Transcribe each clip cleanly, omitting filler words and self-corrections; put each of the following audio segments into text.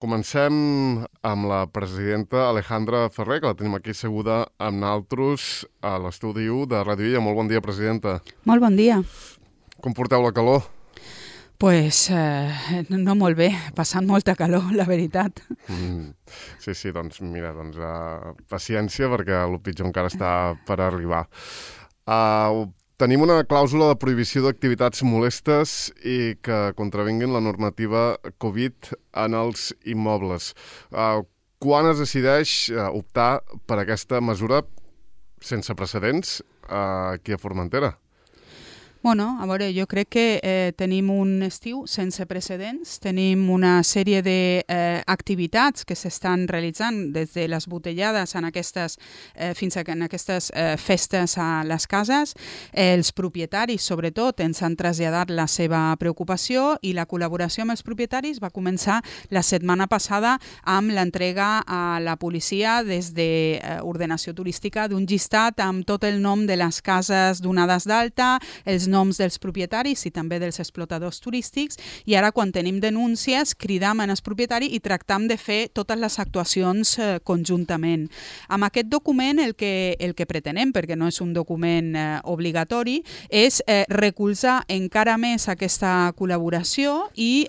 Comencem amb la presidenta Alejandra Ferrer, que la tenim aquí asseguda amb naltros a l'estudi 1 de Ràdio Illa. Molt bon dia, presidenta. Molt bon dia. Com porteu la calor? Pues no molt bé, passant molta calor, la veritat. Sí, doncs mira, paciència perquè el pitjor encara està per arribar. Tenim una clàusula de prohibició d'activitats molestes i que contravinguin la normativa Covid en els immobles. Quan es decideix optar per aquesta mesura sense precedents aquí a Formentera? Bueno, a veure, jo crec que tenim un estiu sense precedents, tenim una sèrie d'activitats que s'estan realitzant des de les botellades fins a aquestes festes a les cases. Els propietaris, sobretot, ens han traslladat la seva preocupació i la col·laboració amb els propietaris va començar la setmana passada amb l'entrega a la policia des d'ordenació turística d'un llistat amb tot el nom de les cases donades d'alta, els noms dels propietaris i també dels explotadors turístics, i ara quan tenim denúncies cridam als propietaris i tractam de fer totes les actuacions conjuntament. Amb aquest document el que pretenem, perquè no és un document obligatori, és recolzar encara més aquesta col·laboració i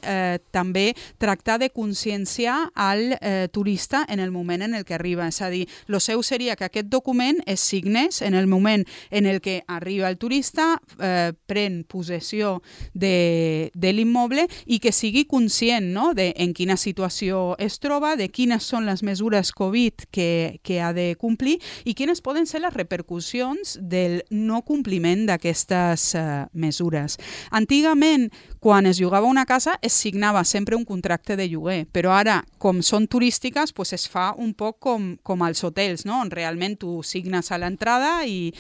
també tractar de conscienciar al turista en el moment en el que arriba. És a dir, el seu seria que aquest document es signés en el moment en el que arriba el turista, pren possessió de l'immoble i que sigui conscient, no?, de en quina situació es troba, de quines són les mesures Covid que ha de complir i quines poden ser les repercussions del no compliment d'aquestes mesures. Antigament, quan es llogava una casa, es signava sempre un contracte de lloguer, però ara, com són turístiques, pues es fa un poc com als hotels, no?, on realment tu signes a l'entrada i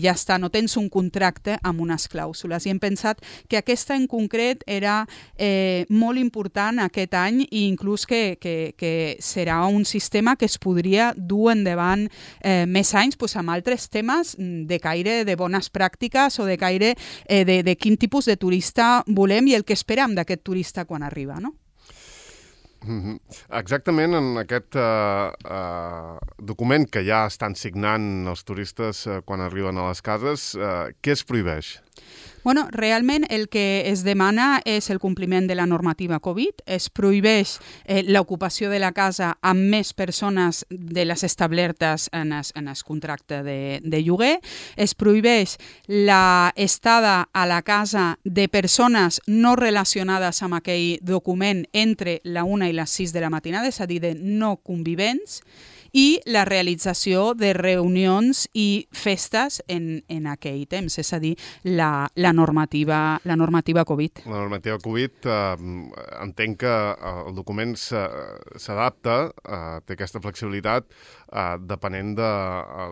ja està, no tens un contracte amb unes clàusules. I hem pensat que aquesta en concret era molt important aquest any i inclús que serà un sistema que es podria dur endavant més anys amb altres temes de caire de bones pràctiques o de caire de quin tipus de turista volem i el que esperam d'aquest turista quan arriba, no? Exactament en aquest document que ja estan signant els turistes quan arriben a les cases, què es prohibeix? Bueno, realment el que es demana és el compliment de la normativa Covid, es prohibeix l'ocupació de la casa amb més persones de les establertes en el contracte de lloguer, es prohibeix l'estada a la casa de persones no relacionades amb aquell document entre la 1 i les 6 de la matinada, és a dir, de no convivents, i la realització de reunions i festes en aquell temps, és a dir, la normativa Covid. La normativa Covid, entenc que el document s'adapta, té aquesta flexibilitat, depenent de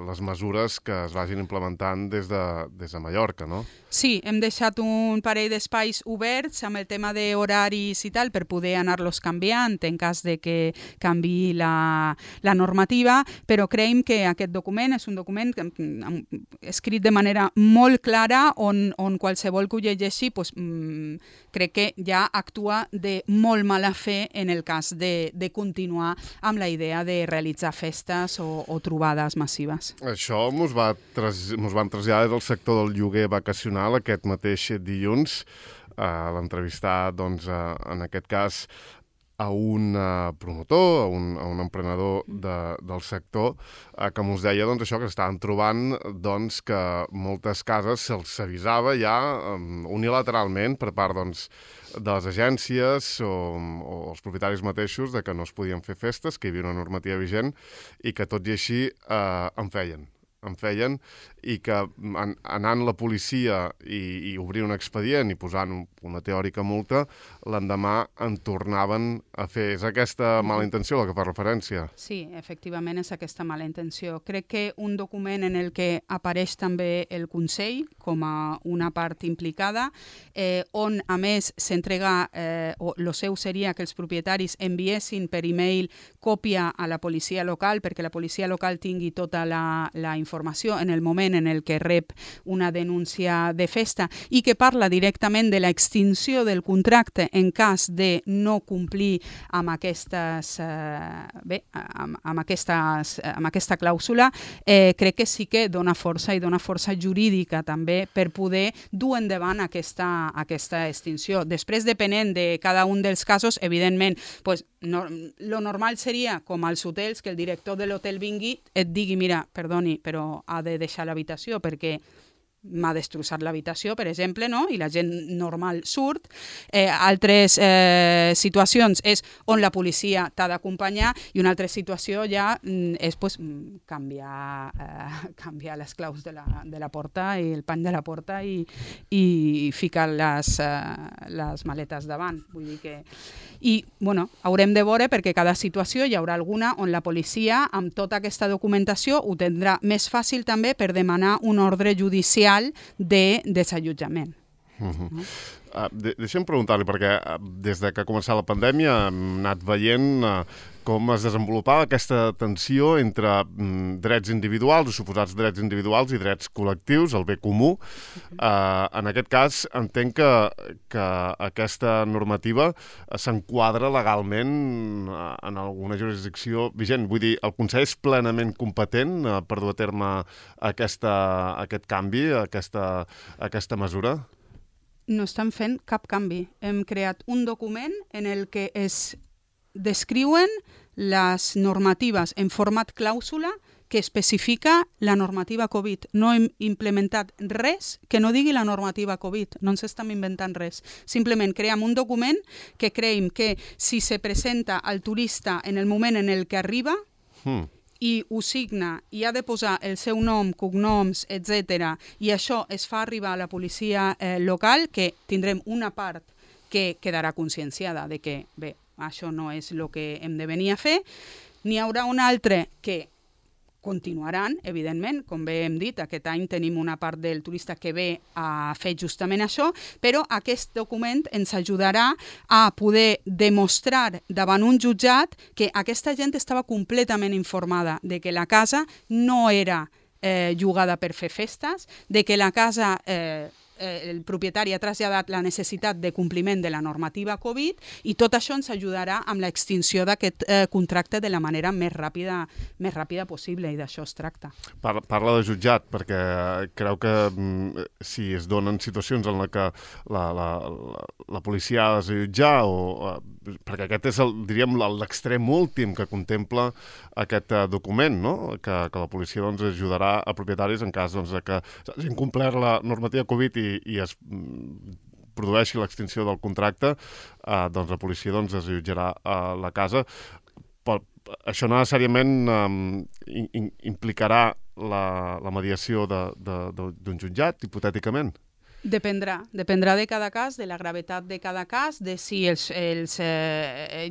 les mesures que es vagin implementant des de Mallorca, no? Sí, hem deixat un parell d'espais oberts amb el tema d'horaris i tal per poder anar-los canviant en cas de que canviï la normativa, però creiem que aquest document és un document escrit de manera molt clara on qualsevol que ho llegeixi crec que ja actua de molt mala fe en el cas de continuar amb la idea de realitzar festes o trobades massives. Això mos van traslladar del sector del lloguer vacacional aquest mateix dilluns, l'entrevistar, en aquest cas, a un promotor, a un emprenedor del sector, que mos deia això, que estaven trobant que moltes cases se'ls avisava ja unilateralment per part de les agències o els propietaris mateixos de que no es podien fer festes, que hi havia una normativa vigent i que tot i així en feien i que anant la policia i obrir un expedient i posant una teòrica multa, l'endemà en tornaven a fer. És aquesta mala intenció la que fa referència? Sí, efectivament és aquesta mala intenció. Crec que un document en el que apareix també el Consell com a una part implicada, on a més s'entrega, o el seu seria que els propietaris enviessin per e-mail còpia a la policia local perquè la policia local tingui tota la informació informació en el moment en el que rep una denúncia de festa i que parla directament de l'extinció del contracte en cas de no complir amb aquesta clàusula, crec que sí que dona força i dona força jurídica també per poder dur endavant aquesta extinció. Després, depenent de cada un dels casos, evidentment, lo normal seria, com als hotels, que el director de l'hotel vingui, et digui, mira, perdoni, però ha de deixar l'habitació perquè m'ha destrossat l'habitació, per exemple, no? I la gent normal surt. Altres situacions és on la policia t'ha d'acompanyar i una altra situació ja és canviar les claus de la porta i el pany de la porta i ficar les maletes davant. Vull dir que... I, haurem de veure perquè cada situació hi haurà alguna on la policia, amb tota aquesta documentació, ho tindrà més fàcil també per demanar un ordre judicial de desallotjament. Deixa'm preguntar-li, perquè des de que ha començat la pandèmia hem anat veient com es desenvolupava aquesta tensió entre drets individuals o suposats drets individuals i drets col·lectius, el bé comú. En aquest cas, entenc que aquesta normativa s'enquadra legalment en alguna jurisdicció vigent. Vull dir, el Consell és plenament competent per dur a terme aquest canvi, aquesta mesura? No estan fent cap canvi. Hem creat un document en el que es descriuen les normatives en format clàusula que especifica la normativa Covid. No hem implementat res que no digui la normativa Covid. No ens estem inventant res. Simplement creem un document que creiem que si se presenta al turista en el moment en el que arriba i ho signa i ha de posar el seu nom, cognoms, etc. i això es fa arribar a la policia local, que tindrem una part que quedarà conscienciada de que, bé, això no és el que hem de venir a fer. N'hi haurà un altre que continuaran, evidentment, com bé hem dit, aquest any tenim una part del turista que ve a fer justament això, però aquest document ens ajudarà a poder demostrar davant un jutjat que aquesta gent estava completament informada de que la casa no era llogada per fer festes, de que la casa... el propietari ha traslladat la necessitat de compliment de la normativa Covid i tot això ens ajudarà amb l'extinció d'aquest contracte de la manera més ràpida possible, i d'això es tracta. Parla de jutjat, perquè creu que si es donen situacions en què la policia ha de jutjar, perquè aquest és, diríem, l'extrem últim que contempla aquest document, no? Que la policia ajudarà a propietaris en cas que s'hagin complert la normativa Covid i es produeixi l'extinció del contracte, doncs la policia es jutjarà la casa. Això no necessàriament implicarà la mediació d'un jutjat, hipotèticament? Dependrà de cada cas, de la gravetat de cada cas, de si els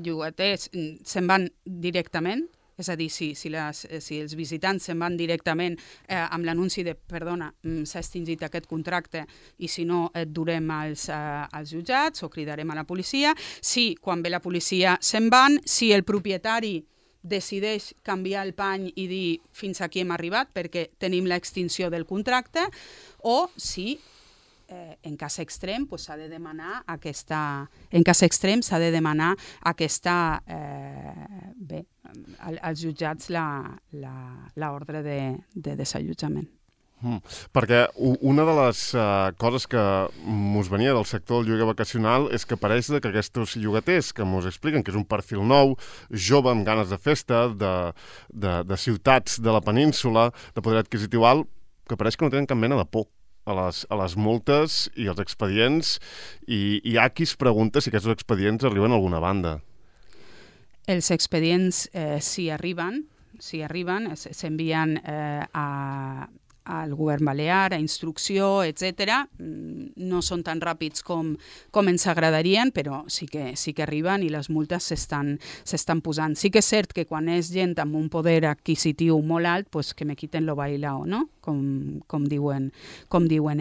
llogaters se'n van directament, és a dir, si els visitants se'n van directament amb l'anunci de perdona, s'ha extingit aquest contracte i si no et durem als jutjats o cridarem a la policia. Si quan ve la policia se'n van, si el propietari decideix canviar el pany i dir fins aquí hem arribat perquè tenim l'extinció del contracte, o si en cas extrem s'ha de demanar als jutjats l'ordre de desallotjament. Perquè una de les coses que mos venia del sector del lloguer vacacional és que pareix que aquests llogaters que mos expliquen que és un perfil nou, jove, amb ganes de festa, de ciutats de la península, de poder adquisitiu alt, que pareix que no tenen cap mena de por a les multes i als expedients, i hi ha qui es pregunta si aquests expedients arriben a alguna banda. Els expedients si arriben, s'envien al govern balear, a instrucció, etc. No són tan ràpids com ens agradarien, però sí que arriben i les multes s'estan posant. Sí que és cert que quan és gent amb un poder adquisitiu molt alt, que me quiten lo bailao, no? com diuen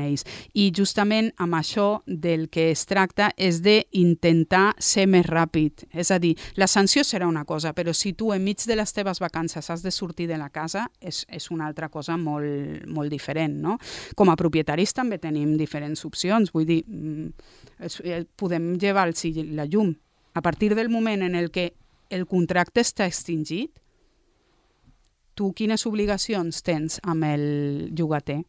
ells. I justament amb això del que es tracta és d'intentar ser més ràpid. És a dir, la sanció serà una cosa, però si tu enmig de les teves vacances has de sortir de la casa, és una altra cosa molt, molt diferent, no? Com a propietaris també tenim diferents opcions. Vull dir, podem llevar la llum. A partir del moment en el que el contracte està extingit, tu quines obligacions tens amb el llogater?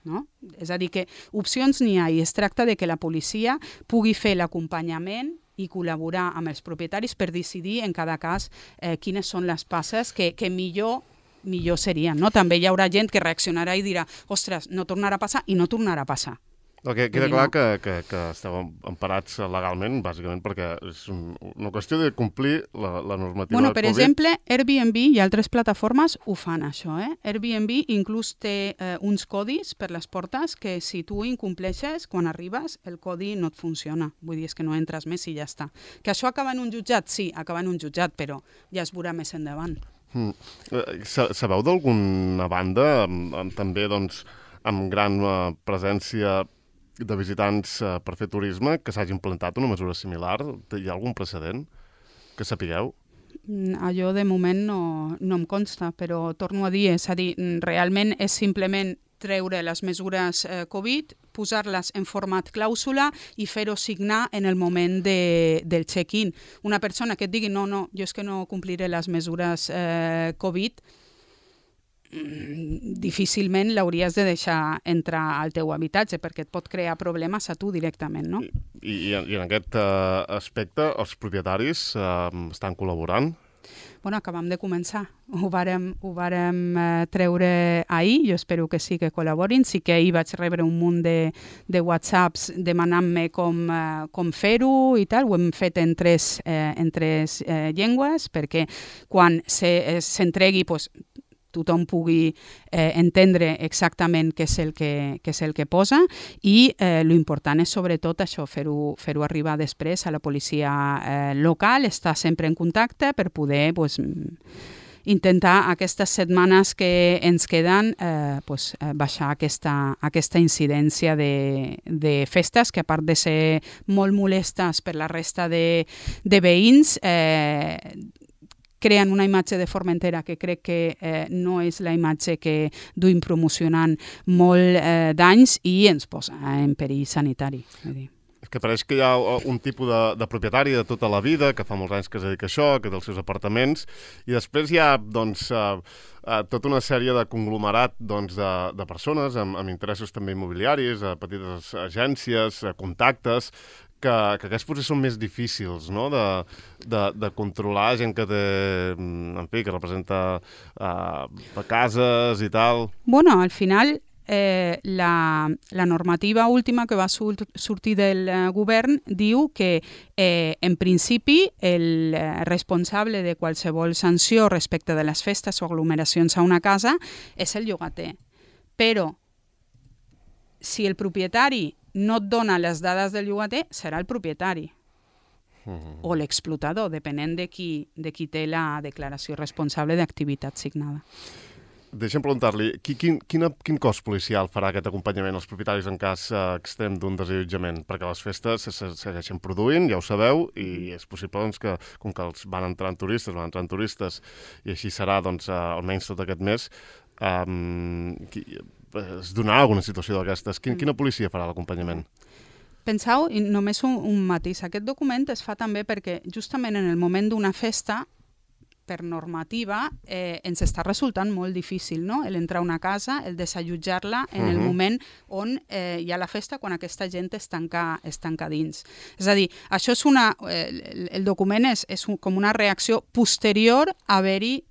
No? És a dir, que opcions n'hi ha i es tracta de que la policia pugui fer l'acompanyament i col·laborar amb els propietaris per decidir en cada cas quines són les passes que millor serien. No? També hi haurà gent que reaccionarà i dirà ostres, no tornarà a passar i no tornarà a passar. Queda clar que esteu emparats legalment, bàsicament, perquè és una qüestió de complir la normativa per Covid. exemple, Airbnb i altres plataformes ho fan, això. Airbnb inclús té uns codis per les portes que si tu incompleixes, quan arribes, el codi no et funciona. Vull dir, és que no entres més i ja està. Que això acaba en un jutjat? Sí, acaba en un jutjat, però ja es veurà més endavant. Sabeu d'alguna banda, també doncs, amb gran presència de visitants per fer turisme, que s'hagi implantat una mesura similar? Hi ha algun precedent que sapigueu? Allò de moment no em consta, però torno a dir, realment és simplement treure les mesures Covid, posar-les en format clàusula i fer-ho signar en el moment del check-in. Una persona que et digui no, jo és que no compliré les mesures Covid, difícilment l'hauries de deixar entrar al teu habitatge perquè et pot crear problemes a tu directament, no? I en aquest aspecte els propietaris estan col·laborant? Acabam de començar. Ho vàrem treure ahir, jo espero que sí que col·laborin. Sí que ahir vaig rebre un munt de whatsapps demanant-me com fer-ho i tal. Ho hem fet en tres llengües perquè quan s'entregui tothom pugui entendre exactament què és el que posa i l'important és sobretot això, fer-ho arribar després a la policia local, estar sempre en contacte per poder intentar aquestes setmanes que ens queden baixar aquesta incidència de festes que a part de ser molt molestes per la resta de veïns creen una imatge de Formentera que crec que no és la imatge que duim promocionant molt d'anys i ens posa en perill sanitari. És que pareix que hi ha un tipus de propietari de tota la vida, que fa molts anys que es dedica a això, que té els seus apartaments, i després hi ha tota una sèrie de conglomerat de persones amb interessos també immobiliaris, petites agències, contactes, que aquests potser són més difícils, no?, de controlar, gent que té, en fi, que representa cases i tal. Al final la normativa última que va sortir del govern diu que en principi el responsable de qualsevol sanció respecte de les festes o aglomeracions a una casa és el llogater. Però si el propietari no et dona les dades del llogater, serà el propietari o l'explotador, depenent de qui té la declaració responsable d'activitat signada. Deixa'm preguntar-li, quin cost policial farà aquest acompanyament als propietaris en cas extrem d'un desallotjament? Perquè les festes se segueixen produint, ja ho sabeu, i és possible que, com que van entrant turistes, i així serà almenys tot aquest mes, es donarà alguna situació d'aquestes. Quina policia farà l'acompanyament? Penseu, i només un matís, aquest document es fa també perquè justament en el moment d'una festa, per normativa, ens està resultant molt difícil, no?, l'entrar a una casa, el desallotjar-la en el moment on hi ha la festa, quan aquesta gent es tanca dins. És a dir, això és el document és com una reacció posterior a haver-hi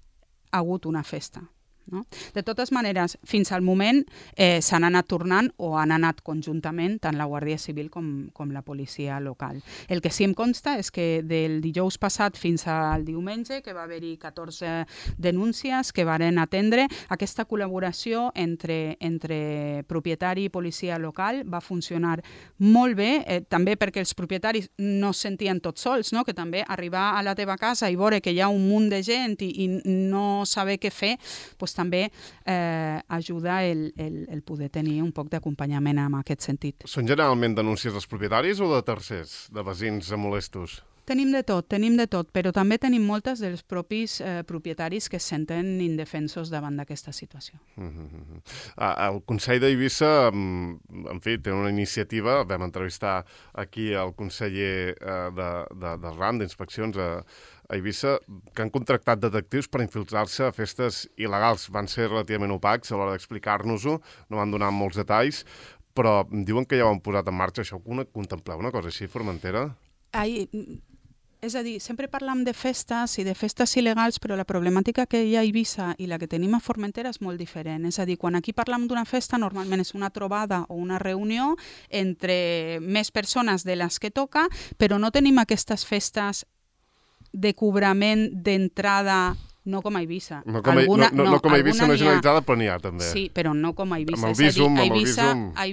hagut una festa. No? De totes maneres, fins al moment s'han anat tornant o han anat conjuntament tant la Guàrdia Civil com la policia local. El que sí em consta és que del dijous passat fins al diumenge, que va haver-hi 14 denúncies que varen atendre, aquesta col·laboració entre propietari i policia local va funcionar molt bé, també perquè els propietaris no es sentien tots sols, no? Que també arribar a la teva casa i veure que hi ha un munt de gent i no saber què fer, doncs també ajuda el poder tenir un poc d'acompanyament en aquest sentit. Són generalment denúncies dels propietaris o de tercers, de veïns molestos? Tenim de tot, però també tenim moltes dels propis propietaris que es senten indefensos davant d'aquesta situació. El Consell d'Eivissa, en fi, té una iniciativa, vam entrevistar aquí el conseller del RAM d'Inspeccions a Eivissa, que han contractat detectius per infiltrar-se a festes il·legals. Van ser relativament opacs a l'hora d'explicar-nos-ho, no van donar molts detalls, però diuen que ja ho han posat en marxa. Això contempleu una cosa així, Formentera? És a dir, sempre parlam de festes i de festes il·legals, però la problemàtica que hi ha a Eivissa i la que tenim a Formentera és molt diferent. És a dir, quan aquí parlam d'una festa, normalment és una trobada o una reunió entre més persones de les que toca, però no tenim aquestes festes de cobrament d'entrada, no com a Eivissa. No com a Eivissa, no generalitzada, però n'hi ha també. Sí, però no com a Eivissa. Amb el Visum, a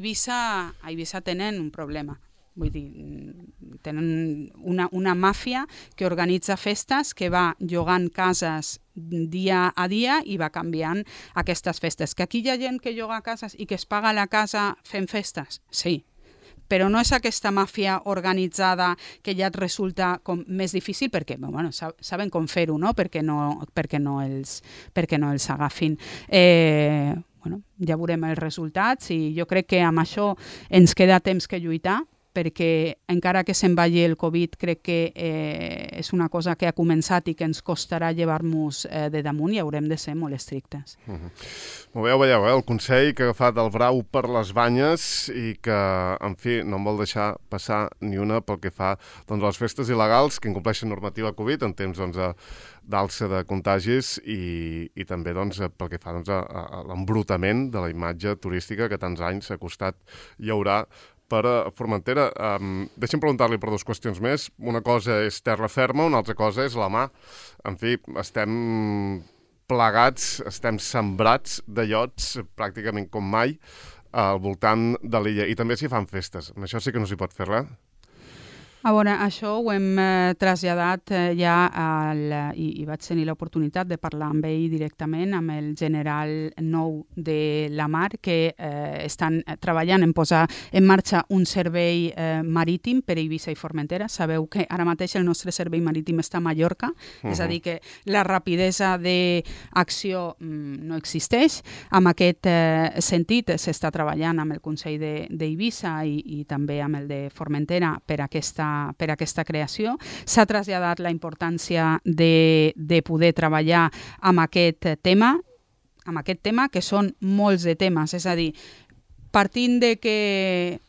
Eivissa tenen un problema. Vull dir, tenen una màfia que organitza festes, que va llogant cases dia a dia i va canviant aquestes festes. Que aquí hi ha gent que lloga cases i que es paga la casa fent festes? Sí. Però no és aquesta màfia organitzada que ja et resulta com més difícil perquè saben com fer-ho, no? perquè no els agafin. Ja veurem els resultats i jo crec que amb això ens queda temps que lluitar, perquè encara que se'n vagi el Covid, crec que és una cosa que ha començat i que ens costarà llevar-nos de damunt i haurem de ser molt estrictes. Ho veieu, el Consell que ha agafat el brau per les banyes i que, en fi, no en vol deixar passar ni una pel que fa a les festes il·legals que incompleixen normativa Covid en temps d'alça de contagis i també pel que fa a l'embrutament de la imatge turística que tants anys ha costat llaurar per a Formentera. Deixa'm preguntar-li per dues qüestions més. Una cosa és terra ferma, una altra cosa és la mà. En fi, estem plegats, estem sembrats de llots pràcticament com mai al voltant de l'illa. I també s'hi fan festes. Amb això sí que no s'hi pot fer res. A veure, això ho hem traslladat ja i vaig tenir l'oportunitat de parlar amb ell directament, amb el general nou de la mar, que estan treballant en posar en marxa un servei marítim per Eivissa i Formentera. Sabeu que ara mateix el nostre servei marítim està a Mallorca, és a dir, que la rapidesa d'acció no existeix. En aquest sentit s'està treballant amb el Consell d'Eivissa i també amb el de Formentera per aquesta creació. S'ha traslladat la importància de poder treballar amb aquest tema, que són molts de temes. És a dir, partint de que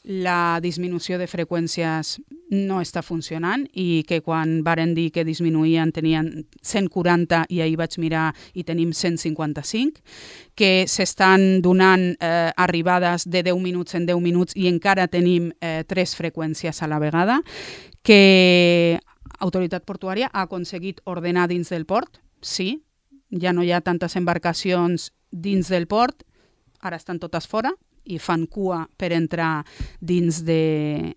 la disminució de freqüències no està funcionant i que quan varen dir que disminuïen tenien 140 i ahir vaig mirar i tenim 155, que s'estan donant arribades de 10 minuts en 10 minuts i encara tenim 3 freqüències a la vegada, que Autoritat Portuària ha aconseguit ordenar dins del port, sí, ja no hi ha tantes embarcacions dins del port, ara estan totes fora, i fan cua per entrar dins de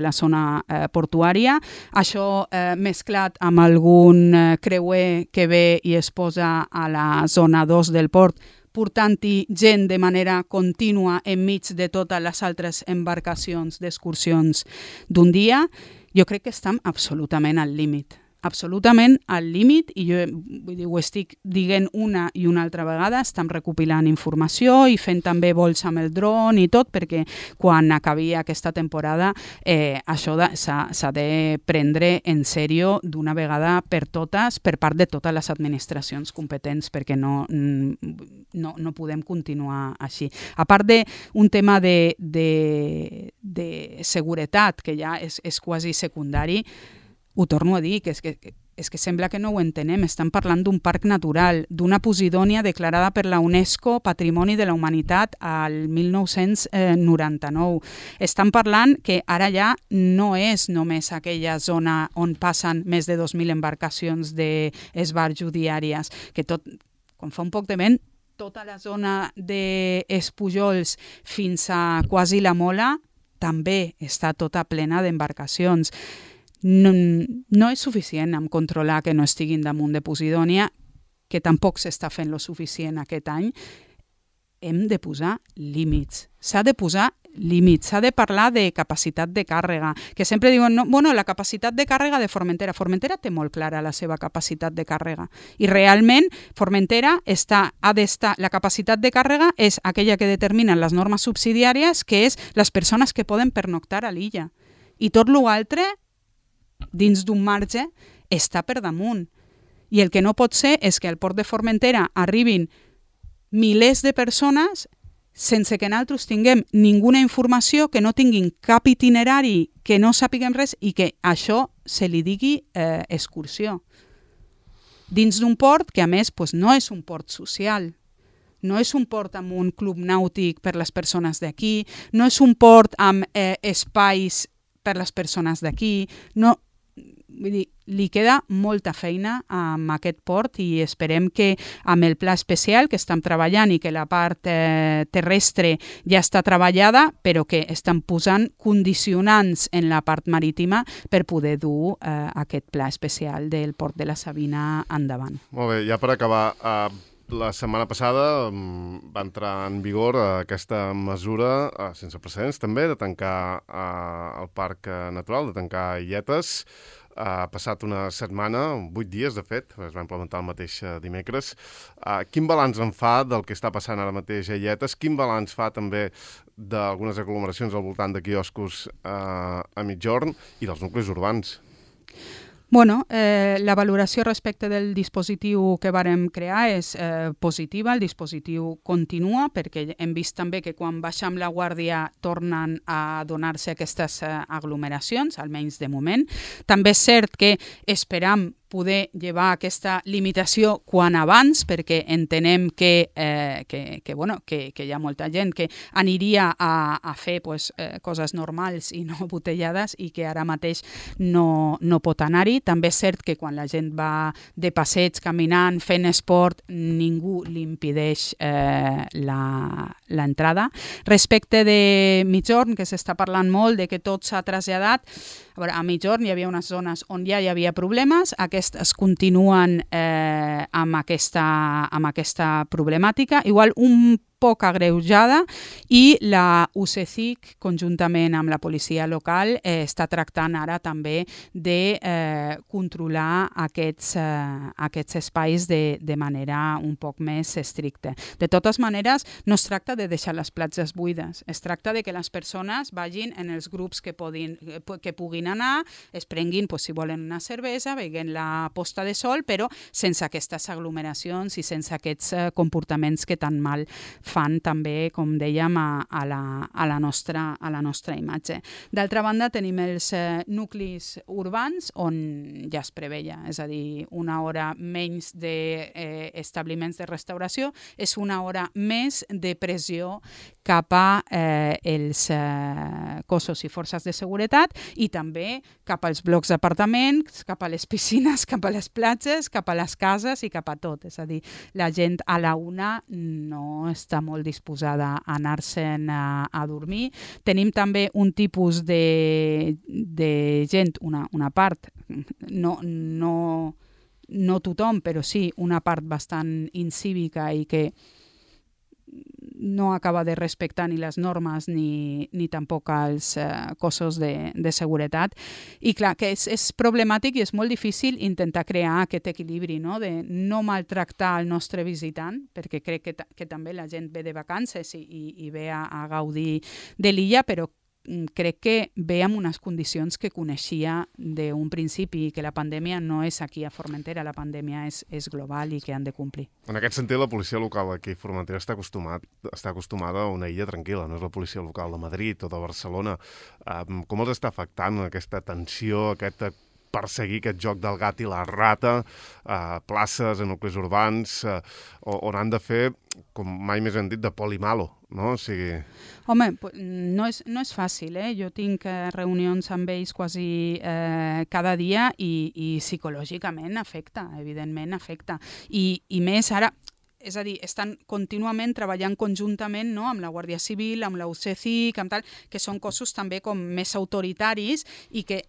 la zona portuària. Això mesclat amb algun creuer que ve i es posa a la zona 2 del port, portant-hi gent de manera contínua enmig de totes les altres embarcacions d'excursions d'un dia, jo crec que estem absolutament al límit. Absolutament al límit, i jo ho estic dient una i una altra vegada, estem recopilant informació i fent també vols amb el dron i tot, perquè quan acabi aquesta temporada això s'ha de prendre en sèrio d'una vegada per totes, per part de totes les administracions competents, perquè no podem continuar així. A part d'un tema de seguretat, que ja és quasi secundari, ho torno a dir, que és que sembla que no ho entenem. Estem parlant d'un parc natural, d'una Posidònia declarada per la UNESCO Patrimoni de la Humanitat al 1999. Estem parlant que ara ja no és només aquella zona on passen més de 2.000 embarcacions d'esbarjo diàries, que tot, com fa un poc de vent, tota la zona d'Espujols fins a quasi la Mola també està tota plena d'embarcacions. No és suficient amb controlar que no estiguin damunt de Posidònia, que tampoc s'està fent lo suficient aquest any, hem de posar límits. S'ha de posar límits, s'ha de parlar de capacitat de càrrega, que sempre diuen, no, bueno, la capacitat de càrrega de Formentera. Formentera té molt clara la seva capacitat de càrrega i realment Formentera ha d'estar, la capacitat de càrrega és aquella que determinen les normes subsidiàries, que és les persones que poden pernoctar a l'illa. I tot l'altre, dins d'un marge, està per damunt. I el que no pot ser és que al port de Formentera arribin milers de persones sense que nosaltres tinguem ninguna informació, que no tinguin cap itinerari, que no sàpiguem res i que això se li digui excursió. Dins d'un port que, a més, no és un port social, no és un port amb un club nàutic per les persones d'aquí, no és un port amb espais per les persones d'aquí, no... Vull dir, li queda molta feina amb aquest port i esperem que amb el pla especial que estem treballant i que la part terrestre ja està treballada, però que estan posant condicionants en la part marítima per poder dur aquest pla especial del port de la Sabina endavant. Molt bé, ja per acabar, la setmana passada va entrar en vigor aquesta mesura, sense precedents també, de tancar el parc natural, de tancar illetes. Ha passat una setmana, 8 dies de fet, es va implementar el mateix dimecres. Quin balanç en fa del que està passant ara mateix a Illetes? Quin balanç fa també d'algunes aglomeracions al voltant de quioscos a Migjorn i dels nuclis urbans? Bueno, la valoració respecte del dispositiu que vàrem crear és positiva, el dispositiu continua perquè hem vist també que quan baixem la guàrdia tornen a donar-se aquestes aglomeracions, almenys de moment. També és cert que esperam poder llevar aquesta limitació quan abans, perquè entenem que hi ha molta gent que aniria a fer coses normals i no botellades i que ara mateix no pot anar-hi. També és cert que quan la gent va de passeig, caminant, fent esport, ningú li impedeix l'entrada. Respecte de Migjorn, que s'està parlant molt de que tot s'ha traslladat, a Migjorn hi havia unes zones on ja hi havia problemes, aquestes continuen amb aquesta problemàtica, igual un poc agreujada, i la UCECIC, conjuntament amb la policia local, està tractant ara també de controlar aquests espais de manera un poc més estricta. De totes maneres, no es tracta de deixar les platges buides, es tracta de que les persones vagin en els grups que puguin anar, es prenguin, si volen una cervesa, veient la posta de sol, però sense aquestes aglomeracions i sense aquests comportaments que tan mal fan també, com dèiem, a la nostra imatge. D'altra banda, tenim els nuclis urbans on ja es preveia, és a dir, una hora menys d'establiments de restauració és una hora més de pressió cap a els cossos i forces de seguretat i també cap als blocs d'apartaments, cap a les piscines, cap a les platges, cap a les cases i cap a tot. És a dir, la gent a la una no està molt disposada a anar-se'n a dormir. Tenim també un tipus de gent, una part, no tothom, però sí una part bastant incívica i que no acaba de respectar ni les normes ni tampoc els cossos de seguretat. I clar, que és problemàtic i és molt difícil intentar crear aquest equilibri, no? De no maltractar el nostre visitant, perquè crec que també la gent ve de vacances i ve a gaudir de l'illa, però crec que ve amb unes condicions que coneixia d'un principi i que la pandèmia no és aquí a Formentera, la pandèmia és global i que han de complir. En aquest sentit, la policia local aquí a Formentera està acostumada a una illa tranquil·la, no és la policia local de Madrid o de Barcelona. Com els està afectant aquesta tensió, aquest perseguir aquest joc del gat i la rata a places, a nuclis urbans, on han de fer, com mai més hem dit, de polimalo, no? O sigui... Home, no és fàcil, eh? Jo tinc reunions amb ells quasi cada dia i psicològicament afecta, evidentment afecta. I més ara... És a dir, estan contínuament treballant conjuntament, no?, amb la Guàrdia Civil, amb la UCECIC, amb tal, que són cossos també com més autoritaris i que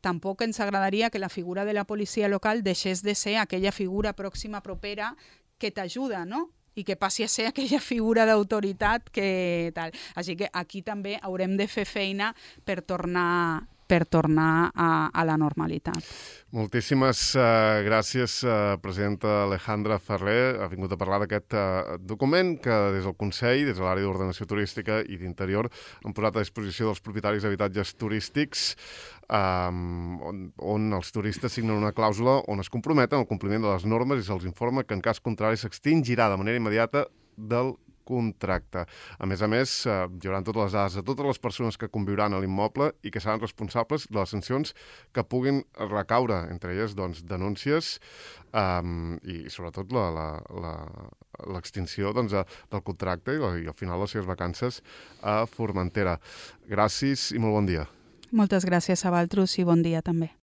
tampoc ens agradaria que la figura de la policia local deixés de ser aquella figura pròxima propera que t'ajuda, no? I que passi a ser aquella figura d'autoritat que tal. Així que aquí també haurem de fer feina per tornar a la normalitat. Moltíssimes gràcies, presidenta Alejandra Ferrer. Ha vingut a parlar d'aquest document que des del Consell, des de l'àrea d'ordenació turística i d'interior, han posat a disposició dels propietaris d'habitatges turístics on els turistes signen una clàusula on es comprometen al compliment de les normes i se'ls informa que en cas contrari s'extingirà de manera immediata del contracte. A més, hi haurà totes les dades de totes les persones que conviuran a l'immoble i que seran responsables de les sancions que puguin recaure, entre elles doncs, denúncies i sobretot l'extinció del contracte i al final les seves vacances a Formentera. Gràcies i molt bon dia. Moltes gràcies a vosaltres i bon dia també.